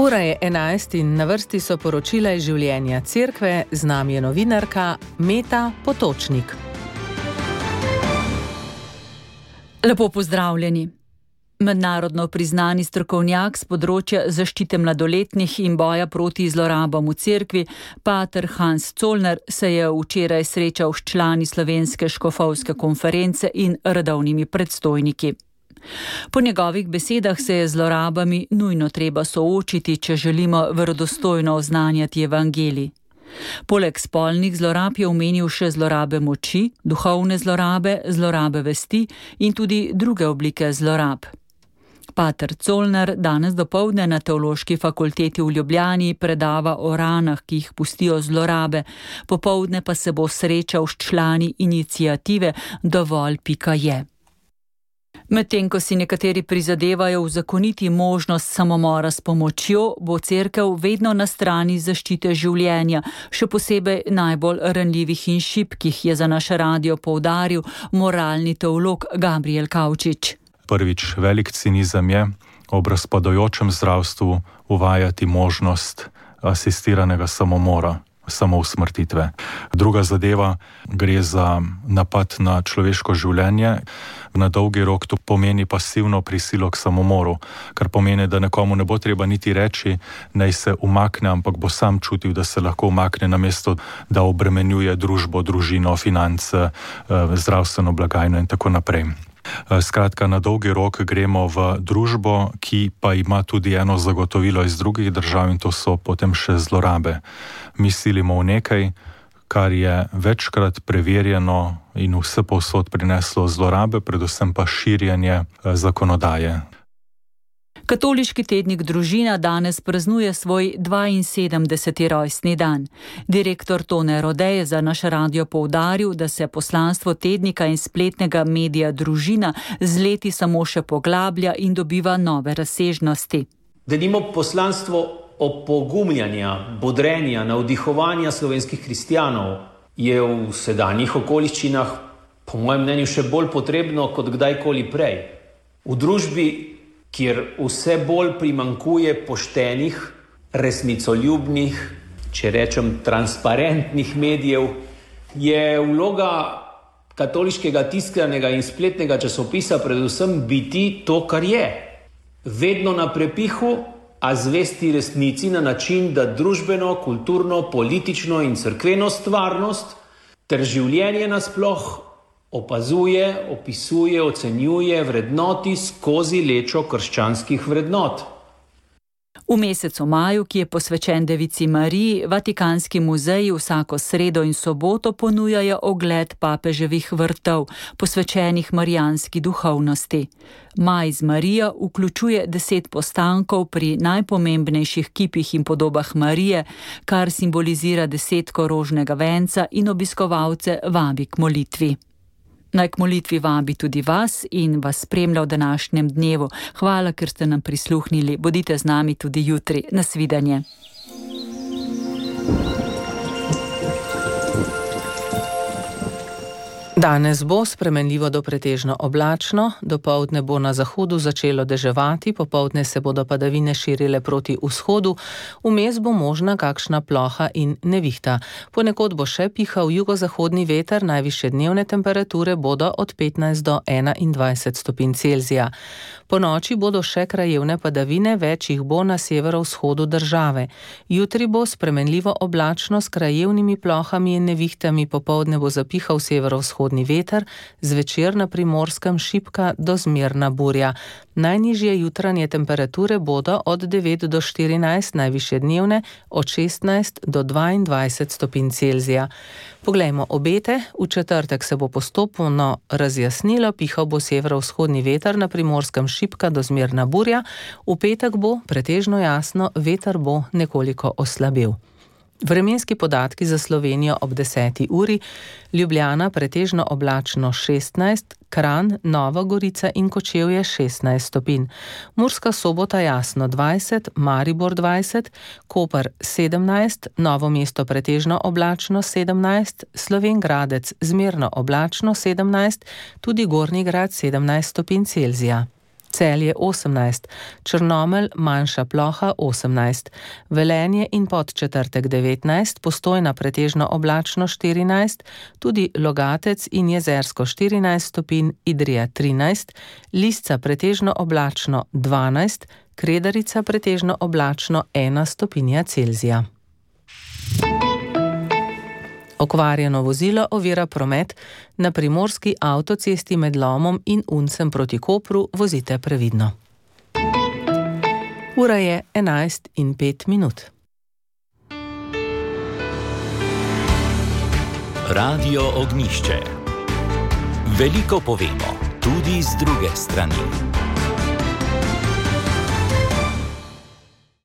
Ura je 11 in na vrsti so poročila iz življenja cerkve, z nami je novinarka Meta Potočnik. Lepo pozdravljeni. Mednarodno priznani strokovnjak z področja zaščite mladoletnih in boja proti zlorabam v cerkvi, pater Hans Zollner, se je včeraj srečal s člani Slovenske škofovske konference in redovnimi predstojniki. Po njegovih besedah se je z zlorabami nujno treba soočiti, če želimo verodostojno oznanjati evangelij. Poleg spolnih zlorab je omenil še zlorabe moči, duhovne zlorabe, zlorabe vesti in tudi druge oblike zlorab. Pater Zollner danes dopoldne na Teološki fakulteti v Ljubljani predava o ranah, ki jih pustijo zlorabe, popoldne pa se bo srečal s člani iniciative Dovolj.je. Medtem ko si nekateri prizadevajo uzakoniti možnost samomora s pomočjo, bo cerkev vedno na strani zaščite življenja, še posebej najbolj ranljivih in šibkih, je za naš radio poudaril moralni teolog Gabriel Kavčič. Prvič, velik cinizem je ob razpadajočem zdravstvu uvajati možnost asistiranega samomora, samousmrtitve. Druga zadeva, gre za napad na človeško življenje. Na dolgi rok to pomeni pasivno prisilo k samomoru, kar pomeni, da nekomu ne bo treba niti reči, naj se umakne, ampak bo sam čutil, da se lahko umakne, namesto da obremenjuje družbo, družino, finance, zdravstveno blagajno in tako naprej. Skratka, na dolgi rok gremo v družbo, ki pa ima tudi eno zagotovilo iz drugih držav, in to so potem še zlorabe. Mi silimo v nekaj, kar je večkrat preverjeno in vse povsod prineslo zlorabe, predvsem pa širjenje zakonodaje. Katoliški tednik Družina danes praznuje svoj 72. rojstni dan. Direktor Tone Rode je za naš radio poudaril, da se poslanstvo tednika in spletnega medija Družina z leti samo še poglablja in dobiva nove razsežnosti. Denimo poslanstvo opogumljanja, bodrenja, navdihovanja slovenskih kristjanov je v sedanjih okoliščinah, po mojem mnenju, še bolj potrebno kot kdajkoli prej. V družbi, kjer vse bolj primanjkuje poštenih, resnicoljubnih, če rečem transparentnih medijev, je vloga katoliškega tiskanega in spletnega časopisa predvsem biti to, kar je. Vedno na prepihu, a zvesti resnici na način, da družbeno, kulturno, politično in cerkveno stvarnost ter življenje nasploh opazuje, opisuje, ocenjuje, vrednoti skozi lečo krščanskih vrednot. V mesecu maju, ki je posvečen Devici Mariji, Vatikanski muzeji vsako sredo in soboto ponujajo ogled papeževih vrtov, posvečenih marijanski duhovnosti. Maj z Marijo vključuje 10 postankov pri najpomembnejših kipih in podobah Marije, kar simbolizira 10 rožnega venca in obiskovalce vabi k molitvi. Naj k molitvi vabi tudi vas in vas spremlja v današnjem dnevu. Hvala, ker ste nam prisluhnili. Bodite z nami tudi jutri. Nasvidenje. Danes bo spremenljivo do pretežno oblačno, dopoldne bo na zahodu začelo deževati, popoldne se bodo padavine širile proti vzhodu, vmes bo možna kakšna ploha in nevihta. Ponekod bo še pihal jugozahodni veter, najvišje dnevne temperature bodo od 15 do 21 stopinj Celzija. Po noči bodo še krajevne padavine, več jih bo na severovzhodu države. Jutri bo spremenljivo oblačno s krajevnimi plohami in nevihtami, popoldne bo zapihal severovzhodni veter, zvečer na Primorskem šibka do zmerna burja. Najnižje jutranje temperature bodo od 9 do 14, najvišje dnevne od 16 do 22 stopinj Celzija. Poglejmo obete. V četrtek se bo postopno razjasnilo, pihal bo severovzhodni veter, na Primorskem šibka do zmerna burja. V petek bo pretežno jasno, veter bo nekoliko oslabel. Vremenski podatki za Slovenijo ob 10. uri: Ljubljana pretežno oblačno 16, Kranj, Nova Gorica in Kočevje 16 stopinj. Murska Sobota jasno 20, Maribor 20, Koper 17, Novo mesto pretežno oblačno 17, Slovenj Gradec zmerno oblačno 17, tudi Gornji Grad 17 stopinj Celzija. Celje 18, Črnomelj manjša ploha 18, Velenje in Podčetrtek 19, Postojna pretežno oblačno 14, tudi Logatec in Jezersko 14 stopinj, Idrija 13, Lisca pretežno oblačno 12, Kredarica pretežno oblačno 1 stopinja Celzija. Okvarjeno vozilo ovira promet na primorski avtocesti med Lomom in Uncem proti Kopru, vozite previdno. Ura je 11:05. Radio Ognjišče. Veliko povemo, tudi z druge strani.